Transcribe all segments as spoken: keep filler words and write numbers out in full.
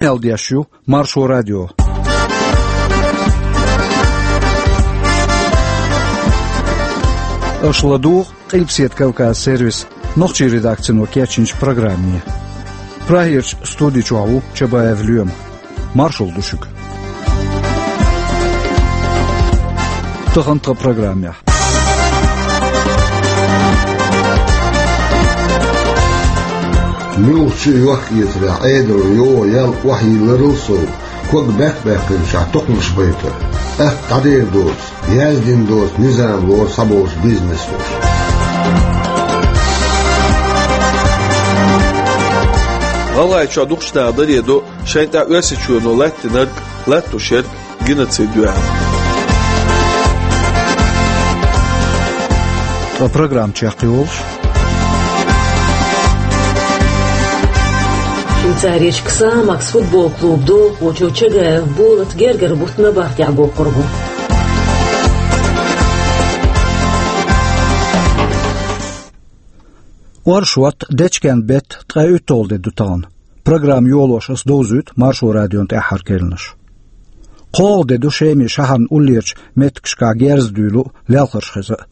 Къамел деш ю Маршо радио. Аша ладугӀу Къилбаседа Кавказ сервисан нохчийн редакцино кечйинчу программе. Прагерчу студи чохь ву Чабаев Лоьма. Маршалла ду шуьга. Тахана тхан программехь. Муьлххачу а йохк-эцарехь Ӏедалан йогӀу ял охьайилларал сов, ког баьккхина баьккхинчохь токхамаш байтар, атта дӀадер доцу, яздина доцу низам лору схьаболуш бизнес луш. ГӀалгӀайчохь дукхачу наха даре до шайн тӀехь Оьрсийчоьно латтийнарг, латтош ерг геноцид ю аьлла. Ткъа программа чекхйолуш. Швейцарерчу «Ксамакс» футбол клубан долахочо Чагаев Болат гергара бутт набахтехь боккхур бу. Оршот, дечкен беттан ткъе уьтталгӀа де ду тахана. Программа йолош аса довзуьйту Маршо радион тӀаьххьара керланаш. КхоалгӀа де ду Шеман шахьарна уллерчу меттигашкахь герз а дуьйлу, лелхарш хеза а.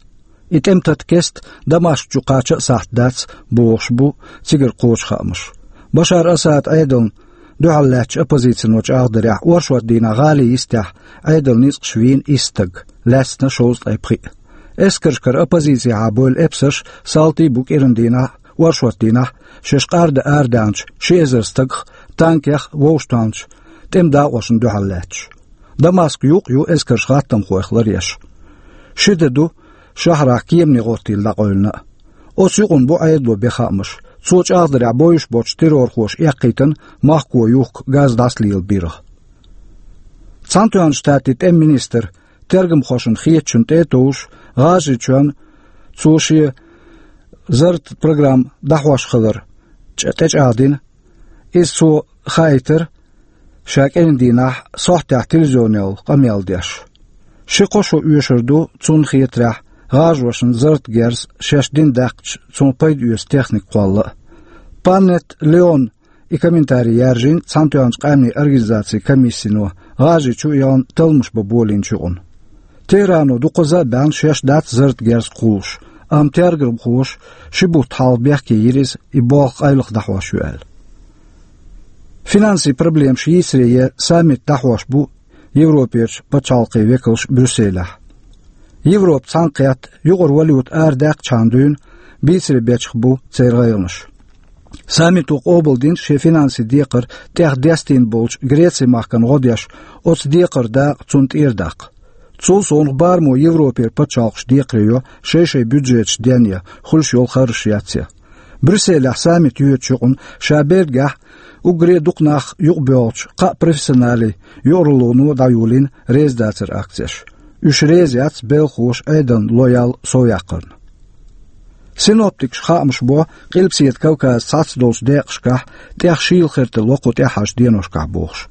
И тӀеман тата кеста Дамаскх чу кхача а сахьт дац, бохуш бу цигара кхочу хаамаш. Башар Асадан Ӏедална дуьхьал лаьттачу оппозицино чӀагӀдарехь, оршот дийнахь гӀалин йистехь Ӏедалан ницкъаша вийна исс стаг, лаьцна шовзткъе пхиъ. Эскаршкара оппозицехьа бевлла эпсарш, салтий а бу кӀиран дийнахь, оршот дийнахь шаьш къарда арадаьхначу ши эзар стагах, танкех, вовшахтоьхначу тӀеман дакъошна дуьхьал лаьтташ. Дамаск юкъ ю эскарша гӀаттамхойх ларъеш. Ши де ду шахьарахь кеманийн гӀоттийла дӀакъевлина а. Оцу юкъана бу Ӏедало бен хаамаш. Цо чӀагӀдарехь, бовзуш боцчу террорхоша эккхийтина махкахо юхку газ дӀасалелабарх. Цхьаьнатоьхначу Штатийн тӀеман министр тергамхошна хетачунна тӀе а товш, ГӀажарийчоьнна цо шен зарратан программа дӀахьош хилар чӀ-, тӀечӀагӀдина. Иза цо хаийтира ша кӀиран дийнахь сохьтехь телевизионехула къамел деш. Ши-кхо шо оьшур ду, цунна хетарехь, гӀажаршна зарратан герз шаьш дина даьккхича, цунах пайда оьцу техника кхолла а. Панетта Леона и комментарий яьржина Цхьаьнатоьхначу Къаьмнийн Организацин комиссино ГӀажарийчу а яхана талламаш бан болийначу юкъана. Техрано дукхазза а баьхна шаьш дац зарратан герз кхуллуш, амма тергамхоша ши бутт хьалха бехке йира иза, и болх къайлаха дӀахьош ю аьлла. Финансийн проблемаш йийсаре ян саммит дӀахьош бу Европерчу пачхьалкхийн векалш Брюсселехь. Европа цхьаьнакхетта, юкъара валюта арадаьккхачхьана дуьйна бийцаре бечах бу церан гӀайгӀанаш. Саммито къобалдина шен финансийн декхар тӀех дестийна болчу Грецин махкана гӀо деш, оцу декхаран дакъа цунна тӀера даккха. Цул совнаха барамо Европера пачхьалкхаш декхаре йо шай-шай бюджеташ ден ян, хуьлуш йолу харжаш яц ян. Брюсселехь саммит йоьдучу юкъана ша Бельгехь уггаре а дукха нах юкъабоьлхучу кхаа профессионалан юкъаралло дӀайолийна резадацаран акцеш. Уьш реза яц белхахоша Ӏедална ло-ял совъяккхарна. Синоптикаша хаамаш бо Къилбаседа Кавказан цхьацца долчу декъашкахь тӀех шийла хир тилла кху тӀаьххьарчу деношкахь бохуш.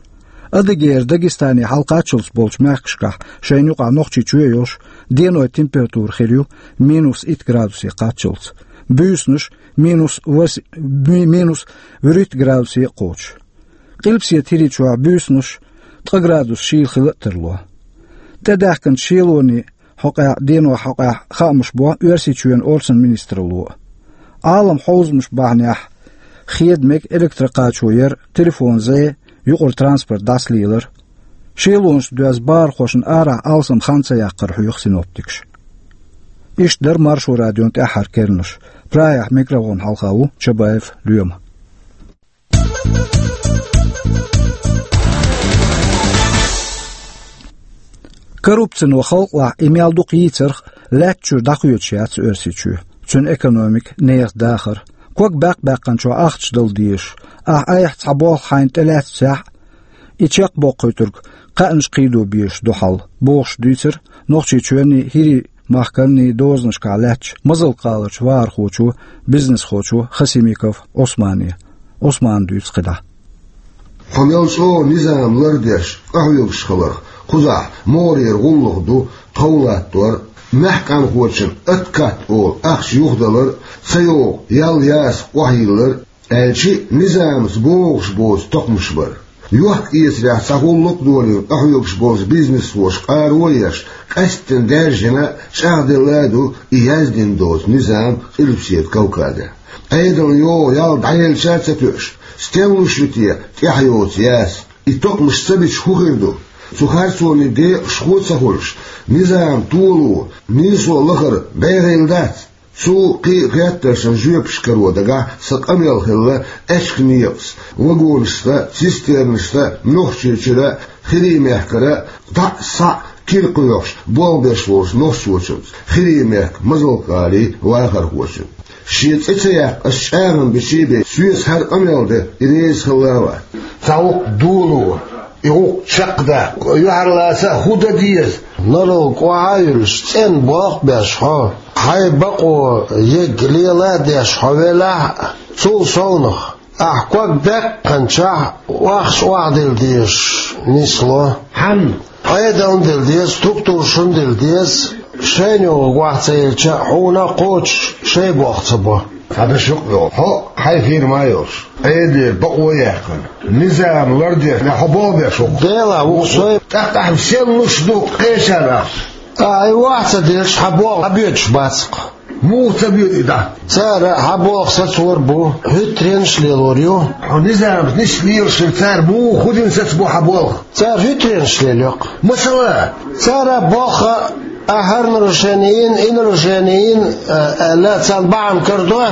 Адыгейра Дагестане хьалакхаччалц болчу мехкашкахь, шайна юкъахь Нохчийчоь а йолуш, денойн температура хир ю минус итт градусе кхаччалц, буьйсанаш минус вас-, ми-, минус вуьрхӀитта градусе а кхочуш. Къилбаседа ХӀирийчохь буьйсанаш ткъа градус шийла хила а тарло. ТӀедаьхкинчу шелонийн хьокъехь, денойн хьокъехь хаамаш бо Оьрсийчоьнан орцан министралло а. Ӏалам хьовзамаш бахьанехь хеда мега электрокхачо яр, телефон зе, юкъара транспорт дӀасалелар. Шелонашца доьзна бахархошна арахь алсам хан ца яккхар хьоьху синоптикаша. Иштта дара Маршо радион тӀаьххьара керланаш. Прагехь микрофон хьалха ву Чабаев Лоьма. Коррупцино халкъалахь и мел дукха йийцарх лаьттачуьра дӀакхоьдуш яц Оьрсийчоь, цуьнан экономика, нехан дахар. Ког баьккх-баьккхинчохь ахча дала дезаш, ахь айхьа цхьа болх хьайна тӀелаьцначохь, и чекхбоккхуьйтург кхаьънаш кхийдо безаш ду хьал, бохуш дуьйцура Нохчийчоьнний, ХӀирийн махканний дозанашкахь лаьттачу Мазалкъаларчу вахархочо, бизнесхочо Хасимиков Ӏусмане. Ӏусмана дуьйцу кхидӀа. Хьо мел чӀогӀа низам лардеш, къахьоьгуш хиларх, кхузахь могӀарера гӀуллакх ду тхов латтор, маьхкамхочун откат олу ахча юхадалар, ца йогӀу ял ясакх охьайиллар, аьлчи а низамца богӀуш боцу токхамаш бара. Йохк-эцарехь цхьа гӀуллакх а долийна, къахьоьгуш болчу бизнесхоша къаро а еш, къаьсттина даьржина а, чӀагӀделла а ду и яздина доцу низам Къилбаседа Кавказехь. Ӏедална йогӀу ял дӀаелча а ца тоьуш, стенна луш ю те тӀаьхьа йоцу яз? И токхамаш ца бича хӀун хир ду? Цу харцонийн декъашхо а ца хуьлуш, низам толо, нийсо лахара бӀе гӀийла дац? Цу кхин а хеттаршна жоьпаш каро дагахь сан къамел хилла аьчка некъаца, вагонашца, цистернашца Нохчийчуьра а, ХӀирийн мехкара а дӀа а, схьа а кира кхоьхьуш болх беш волчу нохчочуьнца, ХӀирийн мехкан Мазалкъалин вахархочуьнца. Шен цӀе ца яккха ас чӀагӀам бича а бен, соьца хӀара къамел де и реза хилла а вац. Цхьа гӀуллакх доло, и гӀуллакх чекхдаккха, юьхьарлаца а хӀун дан деза? Норалг охьа а юьллуш, цӀена болх а беш хьо, хьайн бакъо ерг лела а деш хьо велахь а, цул совнаха, ахь ког баьккхинчохь охьахӀоттийна дилла дезаш нисло. Хьанна? Ӏедална дилла деза, структурашна дилла деза, шайна йогӀург охьа ца елча а, хьуна а кхочуш шайн болх ца бо. Цхьа дашо а йолу. Хьо хьайн фирма а йолуш, Ӏедалера бакъо а яьккхина, низам лардеш, хьо болх беш ву-кх. Дела, ву-кх со. ТӀаккха ахь стенна луш ду кхечарна ахча? Ахь и охьа ца делча, хьан болх дӀабоьдуш бац-кх. Муха ца боьду и дӀа? Цара хьан болх сацор бу, хӀуьттаренаш а лелор ю. Хьо низамца нисса лелаш хилча, цара муха хӀун дина сацабо хьан болх? Цара хӀуьттаренаш лелайо-кх. Масала? Цара боху, ахь хӀара нарушение йина, и нарушение йина, а, аьлла, царна бахьана карадо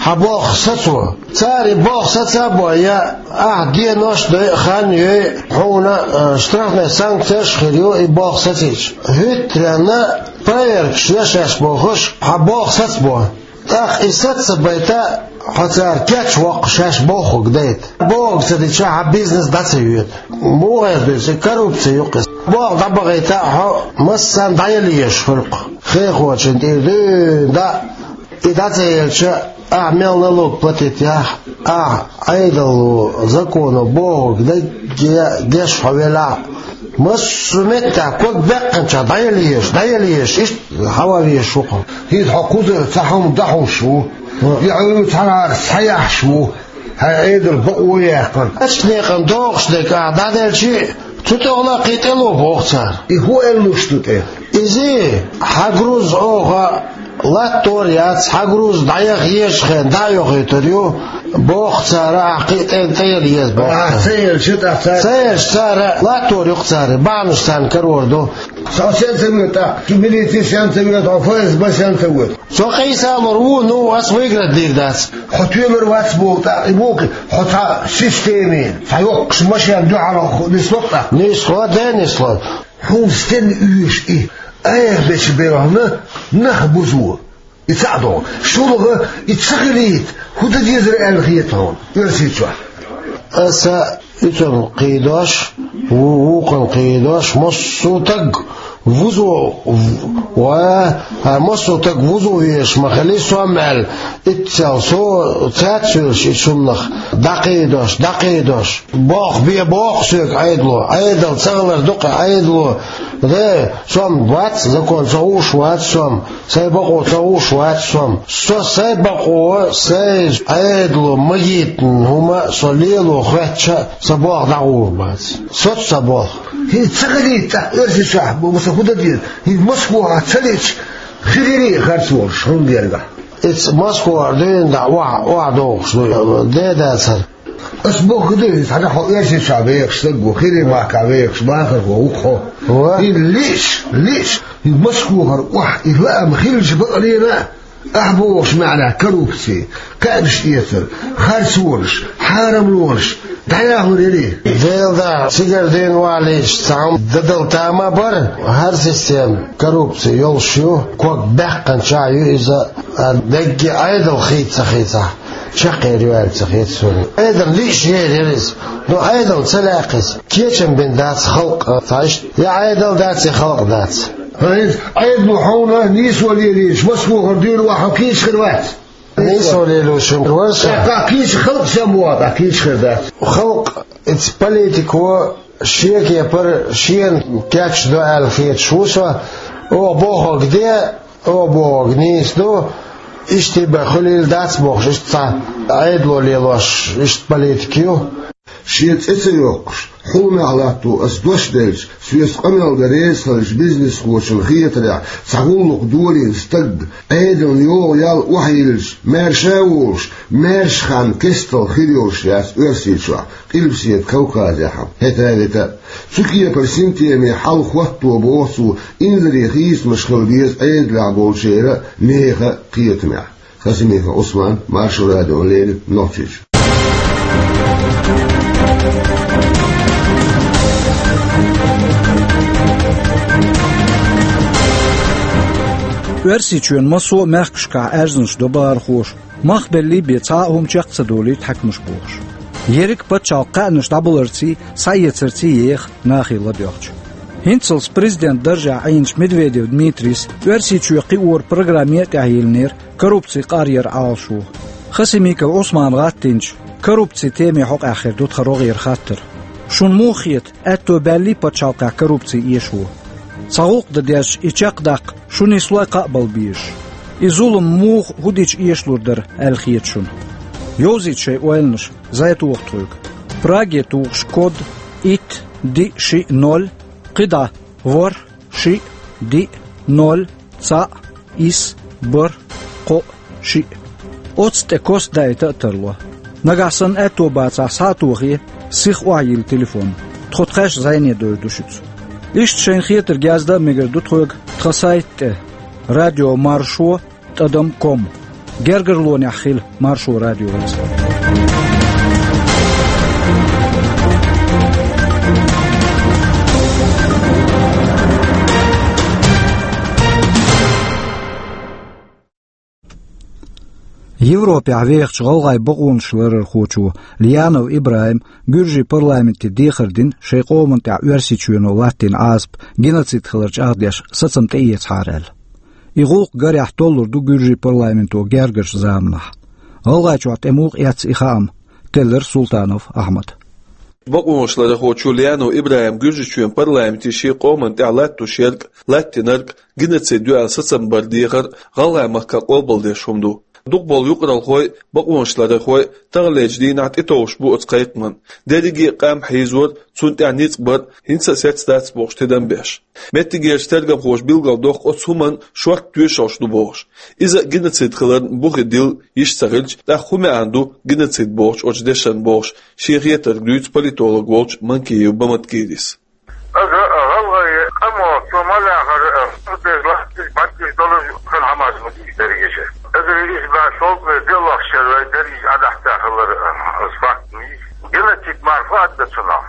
хьан болх сацо. Цара и болх саца а бой, я ахь денош а дой, хан а йой, хьуна, а, штрафный санкцеш а хир ю и болх сацийча. ХӀуьттаренна проверкаш йо шаьш бохуш, хьан болх сацабо. ТӀаккха и саца ца байта, хьо цара кечвоккху шаьш бохург дайта. Бохург ца дича, хьан бизнес дӀа ца йоьду. Муха эр ду иза, коррупци ю-кх иза. Болх дӀабахийта а хьо, массарна дӀаяла езаш хуьлу-кх. Хехочун тӀера дуьйна дӀа, и дӀа ца елча, ахь мел налог платить яхь, ахь Ӏедало, законо бохург дерриге а деш хьо велахь а, массо а меттехь ког баьккхинчохь дӀаяла езаш, дӀаяла езаш, иштта хьаван везаш ву-кх хьо. ХӀинца хьо кхузара цхьа хӀума дӀахьуш ву, я хьо цхьанхьара схьаяхьаш ву, хьайн Ӏедалан бакъо а яьккхина. Аьчка некъан догӀуш дерг ахь дӀаделча а, цу тӀехула кхин тӀе ло боху цара. И хӀун аьлла луш ду тӀе? Иза, хьан груз оха латтор яц, хьан груз дӀаяха езачу хенахь дӀа а йохуьйтур ю, боху цара, ахь кхин тӀе, тӀе яла еза боху цара. Ахь ца елча, тӀаккха цара? Ца елча цара латтор ю-кх цара, бахьанаш царна карор ду. Со сен ца воьду тӀаккха? Шу милици сен ца воьду, хьо ФСБ сен ца воьду? Со къийсалур ву, ну, ас выиграть дийр дац. Хьо тоьлур вац боху тӀаккха, и боху, хьо цхьа системин, цхьа йоккхачу машен дуьхьал нисло-кх тӀаккха? Нисло, де нисло. Хьуна стенна оьшу и? Айхьа бечу белхьана нах бузо. И цхьаъ догӀу. ШолгӀа, и ца хилийта, хӀун дан дезара аьлла хета хьуна Оьрсийчохь? Аса уьцун кхийдош, ву-, вукхун кхийдош, массо а таг вузо, в-, ва, а, массо а таг вузо везаш ма хили сом аьлла, иццел со цаьрца йолуш и цуннах дӀакхийдош, дӀакхийдош. Болх бе боху соьга Ӏедало, Ӏедал ца хилар ду-кх Ӏедало. Де, сом вац, закон ца хууш вац сом, сайн бакъо ца хууш вац сом. Со сайн бакъо, сайн Ӏедало магийтина хӀума со лело хоьттича, сан болх дӀагӀур бац. Соцу сан болх. ХӀинца ца хилийта тӀаккха Оьрсийчохь, бу-, сан хӀун дан деза? ХӀинца Москвахь ца лиъча, хир йирий харц волуш, хӀунда гергахь? Иза Москвара дуьйна дӀа охьа, охьадогӀуш ду, де дацара. Ас бохург ду иза, хьан хьо Оьрсийчохь вехаш стаг ву, ХӀирийн махкахь вехаш вахархо ву-кх хьо. Ва? И лиъш, лиъш, и Москвахара охьа и лаам хилча бакъ лийна, ахь бохуш маьӀна коррупци, кхаьънаш эцар, харцонаш, хьарамлонаш дӀаяхьлур яри? Делан дуьхьа, цигара дуьйна валийча цхьа хӀума дан дала тама бара, хӀара система коррупци йолуш ю, ког баьккхинчохь ю иза, а дерриге Ӏедал хийца ца хийцахь. Чекхъер ю аьлла ца хета суна. Ӏедал лиъш яр яра иза. Но Ӏедал ца лаьа иза. Кечам бина дац халкъ, цхьа иштта. Я Ӏедал дац, я халкъ дац. ХӀинца Ӏедало хьуна нийсо лелийча, Москвахара дуьйна охьа хьо кийча хир вац? Нийсо лелош хир вара со. ТӀаккха кийча халкъ сема ву, тӀаккха кийча хир дац. Халкъ, иза политико шен кепара шена кечдо аьлла хеташ ву со. Оха бохург де, оха бохург нийса ду, иштта бен хуьлийла дац бохуш, иштта цхьа Ӏедало лелош, иштта политика ю. Шен цӀе ца йоккхуш, хьулмехь латто ас дош делча, соьца къамел дан реза хиллачу бизнесхочун хетарехь, цхьа гӀуллакх долийна стаг, Ӏедална йогӀу ял охьайиллича, маьрша а волуш, маьрша хан кестал хир йолуш яц Оьрсийчохь, Къилбаседа Кавказехь а, хӀета а, вета а. Цу кепара синтеме хьал хӀотто боху цо, инзаре хийцамаш хила деза Ӏедалехь болчеран а, нехан а кхетамехь. Хасимиков Ӏусман, Маршо радиона леррина, Нохчийчоь. Оьрсийчоьнан массо а мехкашкахь аьрзнаш до бахархоша, мах беллий бен цхьа а хӀума чекх ца долуьйту хьаькамаш бохуш. Ерриг а пачхьалкх кхаьънаш дӀабаларций, схьаэцарций еха нахе ладоьгӀча. ХӀинццалц президент даржехь Ӏийначу Медведев Дмитрийс Оьрсийчоь кхиоран программе а тӀехь йиллинера коррупци къаръяран Ӏалашо. Хасимиков Ӏусмана гӀаттийначу коррупци темин хьокъехь хир ду тхан рогӀера хаттар. Шуна муха хета, аьтто баьллий пачхьалкхехь коррупци эшо? Цхьа гӀуллакх дан дезча, и чекхдаккха шу нислой кхаъ бала безаш? И зулам муха, хӀун дича эшалур дара аьлла хета шуна? Йовзийта шайн ойланаш, зӀе тоха тхоьга. Праге тухуш код итт диъ шиъ ноль, кхидӀа ворхӀ шиъ диъ ноль цхьаъ исс бархӀ кхоъ шиъ. Оцу тӀе кос дайта а тарло. Нагахь санна аьтто бацахь, схьа а тохе, сиха охьайилла телефон. Тхо тхаьш зӀене дойр ду шуьца. Иштта шайна хетарг яздан а мегар ду тхоьга тхан сайта тӀе: радио маршо тӀадам ком. Гергарлонехь хила Маршо радиоца. Европехь вехачу гӀалгӀайн бакъонаш ларархочо Лианов ИбрахӀима Гуьржийн парламенте дехар дина, шайн къоман тӀехь Оьрсийчоьно латтийна Ӏазап геноцид хилар чӀагӀдеш сацам тӀеэцахьара аьлла. И гӀуллакх гарехь толлур ду Гуьржийн парламенто гергарчу заманахь. ГӀалгӀайчохь тӀе муха эцна и хаам, теллира Султанов Ахьмада. Бакъонаш ларархочо Лианов ИбрахӀима Гуьржийчоьнан парламенте шен къоман тӀехь латтош ерг, латтийнарг геноцид ю аьлла сацам бар дехар гӀалгӀайн махкахь къобалдеш хӀума ду. Дукхахболу юкъаралхой а, бакъонаш ларархой а таханлерчу дийнахь тӀетовжуш бу оцу кхайкхаман. Дерриге а къам хьийзор, цунна тӀехь ницкъ бар хӀинца а сецца дац бохуш тидам беш. Меттигерчу тергамхоша билгалдоккху оцу хӀуманна шортта тоьшаллаш ду бохуш. Иза а геноцид хиларна бухе дилла йиш ца хилча, тӀаккха хӀун маьӀна ду геноцид бохучу оцу дешан бохуш, шен хетарг дуьйцу политолог волчу Манкиев Баматкирис. Аса гӀалгӀай къамо цо ма лаьхара, а, беза латташ, батташ долуш хан хӀамаш ма дийша дерриге. Аса иза баьш долу вай делахчара вай дерриге Ӏадахьта хилар, а, аса факт ма йийша. Геноцид марфа а дац цунах.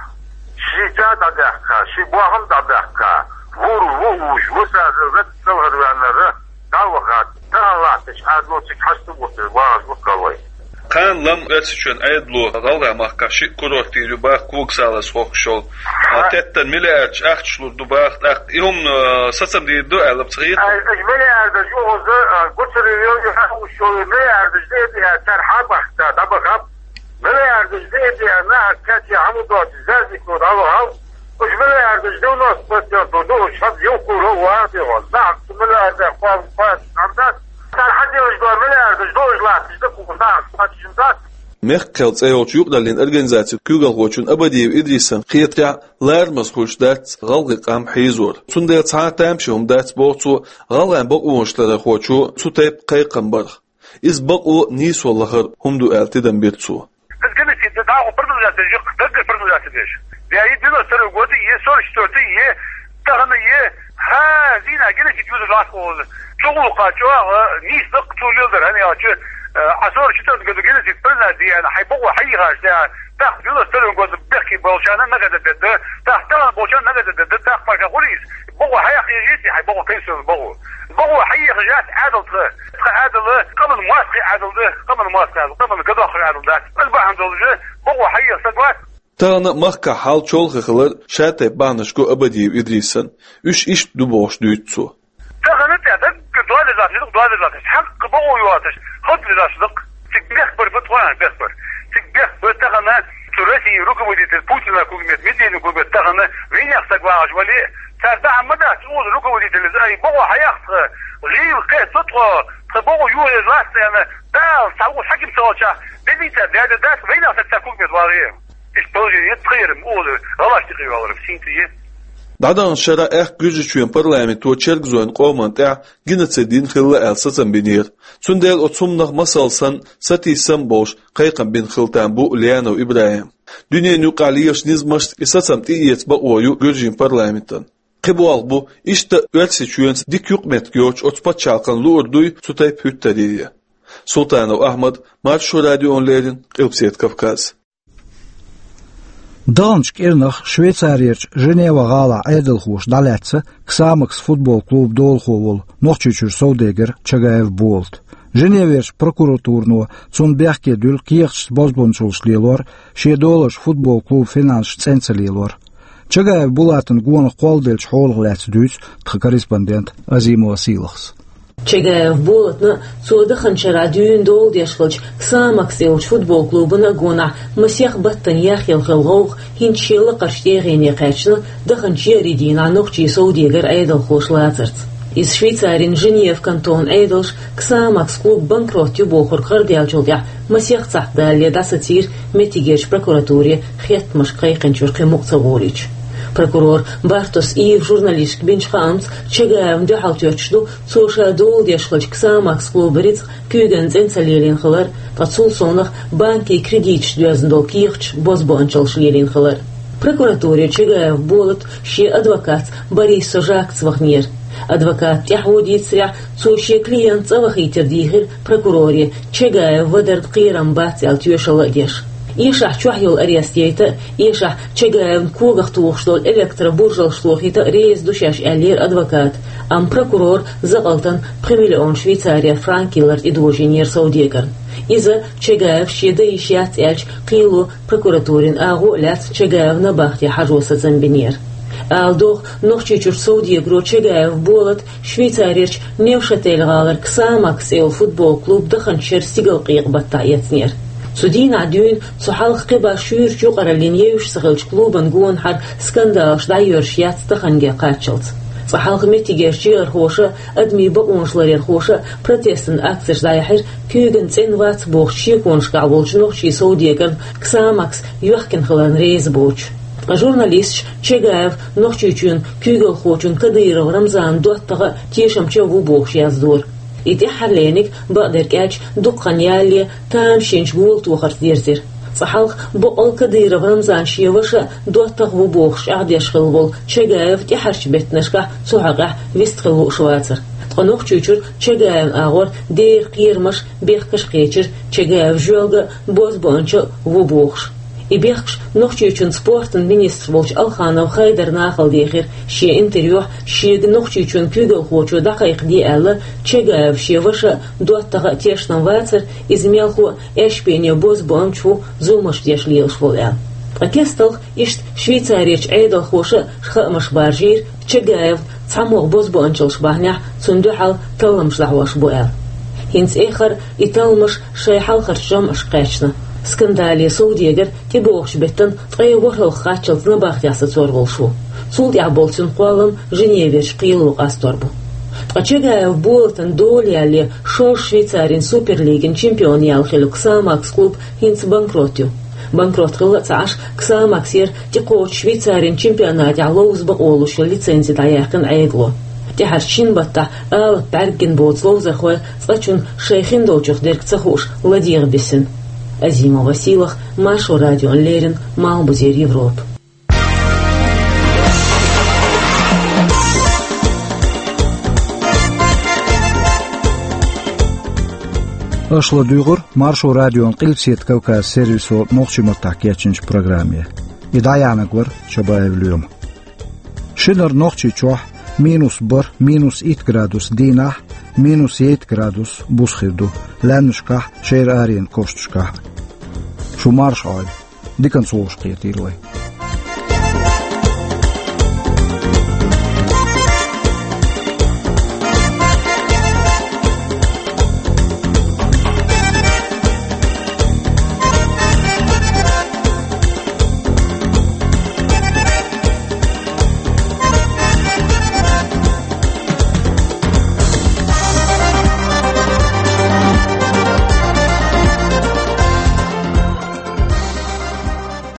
Ши ца дӀадаьккха, ши бохам дӀадаьккха, вур ву уьш, вусаза вет салгӀар ваьннара, дӀа а ваха, тахана латташ, Ӏадало цига хьаста гӀуттар, вагӀаш гӀуттар вай. Кхана лам Оьрсийчоьнан Ӏедало гӀалгӀай махкахь шиъ курорт йийр ю баха, когасалаза хохкуш йолу. А, теттан миллиардаш ахчаш лур ду баха, тӀаккха и хӀума, а, сацам дийр ду аьлла ца хета? Ай, ай, миллиардаш юхаза, а, гуцара йо, ю хьан уш йолу миллиардаш де а, цара хьан бахта, дӀабахаб. Миллиардаш де а, нахаца кхетча хьан ду доцу, зазико дӀавахав. Уж миллиардаш девяносто процентов ду, уж хьан юхкура ван дегӀо. Нахаца миллиардах кхоалла кхоалла хьан дац? Цара хьан делаш ду миллиардаш, ду уж латташ, ду кху нахаца кхоачашна дац? Мехкан кхел цӀе йолчу юкъараллин организацин куьйгалхочун Абадиев Идрисан хетарехь, ларамаза хуьлуш дац гӀалгӀай къам хьийзор. Цундела цхьа а тамашийна хӀума дац, боху цо, гӀалгӀайн бакъонаш ларархочо цу тайпа кхайкхам барх. Иза бакъо, нийсо лахара хӀума ду аьлла тидам бира цо. Иза геноцид дӀахо продолжать деш, даггара продолжать деш. Я и девяносто второй год, и сорок четвёртый, и тахана, и хӀа, зина геноцид юзуш латкъа волу. Чу гӀуллакха чӀогӀа нийса даккха цо леладар, хӀана аьлча, а сорок четвёртый году геноцид признать дина, хьайн бакъо хьайихаш, да, тӀаккха девяносто второй году бехке болчарна наказать дедда, тӀаккха тахана болчарна наказать дедда, тӀаккха паша хуьлийса, бакъо хьайихаш яц, хьайн бакъо кайсалла бакъо. Бакъо хьайихаш яц Ӏадал тха. Тхан Ӏадал, къаман мостагӀий Ӏадал ду, къаман мостагӀий Ӏадал, къаман гадоххар Ӏадал дац. Ас бахьана долуш, бакъо хьайеха стаг вац. Тахана махкахь хьал чолхе хилар шатайпа бахьанаш го Абадиев Идрисан. Уьш иштта ду бохуш дуьйцу цо. Тахана тӀе даггара дола латташ, дола латташ, хьакъ бакъо йоацаш, хӀотта латташ даккха. Цига бехк бар, бу тхойна бехк бар. Цига бехк бар тахана цу России руководитель Путина кугмет, Медведев кугмет тахана вайнех стаг вагӀаш вале, цара дахьа ма дац, уза руководитель, ай, бакъо хьаеха тха, гӀийла кхетта тхо, тха бакъо юхаерза лац аьлла, Дала цхьа ву хьаким ца волчохь, беллийца даьда дац, вайнех стаг цара кугмет вагӀе. Иштта положение яц тхайрам, ола гӀалаш тӀекхийоларам синтие. ДӀадаханчу шарахь аьхка Гуьржийчоьнан парламенто чергазойн къоман тӀехь геноцид йина хилла аьлла сацам бинера. Цундела оцу хӀуманах масал санна, сатийсам а болуш, кхайкхам бина хилла там бу Лианов ИбрахӀим. Дуьненан юкъахь лелачу низамашца и сацам тӀеэца бакъо ю Гуьржийн парламентан. Кхин болх бу, иштта Оьрсийчоьнца дика юкъаметтиг йоцуш оцу пачхьалкхана луур дуй цу тайпа хӀуьттарий. Султанов Ахьмад, Маршо радиона леррина, Къилбаседа Кавказ. Даханчу кӀирнах Швейцарерчу Женева-гӀалахь Ӏедалхоша дӀалаьцна Ксамакс футбол клубан долахо волу Нохчийчуьра совдегар Чагаев Болат. Женеверчу прокуратуро цунна бехке дуьллу кехаташца бозбуунчаллаш лелор, шен доларш футбол клубан финансашца цӀена ца лелор. Чагаев Булатан гонах кхолладеллачу хьолах лаьцна дуьйцу тхан корреспондента Азимова Сийлахас. Чагаев Болатна, цо даханчу шарахь дуьйна дола деш хиллачу Ксамакс йолчу футбол клубана гонахь масех баттана яхъелла хилла гӀовгӀа хӀинца шен лакхарчу тӀегӀене кхаьчна, даханчу еарин дийнахь нохчийн совдегар Ӏедалхоша лацарца. Иза Швейцарин Женева кантонан Ӏедалша Ксамакс клуб банкрот ю бохург гӀарадаьллачул тӀаьхьа масех цхьаъ далале дӀасацийра меттигерчу прокуратуре, хеттамашка кхайкхинчуьра кхин мукъа ца гӀолийча. Прокурор Бартос Ива журналисташка бинчу хаамца, Чагаевна дуьхьал тоьттуш ду цо ша дола деш хиллачу Ксамакс клубан рицкъ куьйганна цӀена ца лелийна хилар, ткъа цул совнаха банкийн кредиташца доьзна долу кехаташ бозбуунчаллаш лелийна хилар. Прокуратуре Чагаев Болат шен адвокатца Борисов Жакаца ваханера. Адвоката тӀаьхьо дийцарехь, цо шен клиент цӀа вахийтар дийхира прокуроре, Чагаев вадарна кхерам бац аьлла тоьшалла а деш. Эшахь чохь йолу арест яйта а, эшахь Чагаевна когах тухуш долу электробуржалш тохийта а реза ду шаьш, аьллера адвоката, амма прокурор закъалтана пхи миллион швейцарер франк йиллар тӀедожийнера совдегарна. Иза Чагаев шен дан йиш яц аьлча кхело прокуратурин агӀо а лаьцна Чагаевн набахте хьажо сацам бинера. Ала догӀу, Нохчийчуьра совдегаро Чагаев Болат Швейцарерчу Невшатель-гӀалара Ксамакс цӀе йолу футбол клуб даханчу шеран стигалкъекъа баттахь эцнера. Цу дийнахь дуьйна цу хьалха кхин башха шуьйрачу юкъараллина евзаш ца хиллачу клубан гонахьара скандалаш дӀайоьрзуш яц таханге кхаччалц. Цкъа хьалха меттигерчу чигархоша а, адамийн бакъонаш ларъярхоша а протестан акцеш дӀаяьхьира куьйган цӀена вац бохучу шеконашкахь волчу нохчийн совдегарна Ксамакс йоьхкина хиларна реза боцуш. Ткъа журналисташа Чагаев Нохчийчоьнан куьйгалхочун Кадыров Рамзанан доттагӀа а, тешамча а ву бохуш яздора. И тӀаьххьарлерниг, бакъдерг аьлча, дукха хан ялале тамашийначу гулам тохарца дирзира. Цкъа хьалха боккъал Кадыров Рамзан шен ваша а, доттагӀа а ву бохуш чӀагӀдеш хилла волу Чагаев тӀаьхьарчу беттанашкахь цу хьокъехь вистхила лууш вацара. Ткъа Нохчийчуьра Чагаевн агӀор дера кхерамаш, бехкаш а кхечира, Чагаев жоьлга а, бозбуунча а ву бохуш. И бехкаш Нохчийчоьнан спортан министр волчу Алханов Хайдара нахала дехира. Шен интервьюхь шега Нохчийчоьнан куьйгалхочо дӀакхайкхаде аьлла, Чагаев шен ваша а, доттагӀа а тешнам вацара, иза мелхо а эшпене бозбуунча ву, зуламаш деш лелаш волу аьлла. Ткъа кесталха иштта Швейцарерчу Ӏедалхоша а хаамаш баржийра, Чагаевна цхьамогӀа бозбуунчаллаш бахьанехь цунна дуьхьал талламаш дӀахьош бу аьлла. ХӀинца эххар и талламаш шайн хьалхарчу жамӀашка кхаьчна. Скандале совдегар тӀебогӀучу беттан ткъе ворхӀалгӀа кхаччалц набахтехь сацор волуш ву. Цул тӀаьхьа болу цуьнан кхоллам Женеверчу кхело къастор бу. Ткъа Чагаев Болатан дола ялале шолгӀа Швейцарин суперлигин чемпион яьлла хиллачу Ксамакс клуб хӀинца банкрот ю. Банкрот хилла а ца Ӏаш, Ксамаксера тӀекхочу Швейцарин чемпионатехь ловза бакъо луш йолу лицензи дӀаяьккхина Ӏедало. ТӀаьхьарчу шина баттахь алапа бӀаьргина боцу ловзархой цкъачунна шайн хиндолчух дерг ца хууш ладегӀа бисина. Азимова Сийлаха, Маршо радиона леррина, Малхбузера Европа. Аша ладуьйгӀура Маршо радион Къилбаседа Кавказан сервисо нохчийн маттахь кечйинчу программе. И дӀаяьхьнарг вара Чабаев Лоьма. Шинара Нохчийчохь минус бархӀ, минус итт градус дийнахь, минус итт градус буса хир ду лаьмнашкахь, шера аренан кошнашкахь. Шу марша Ӏойла, диканца вовшахкхетийла вай.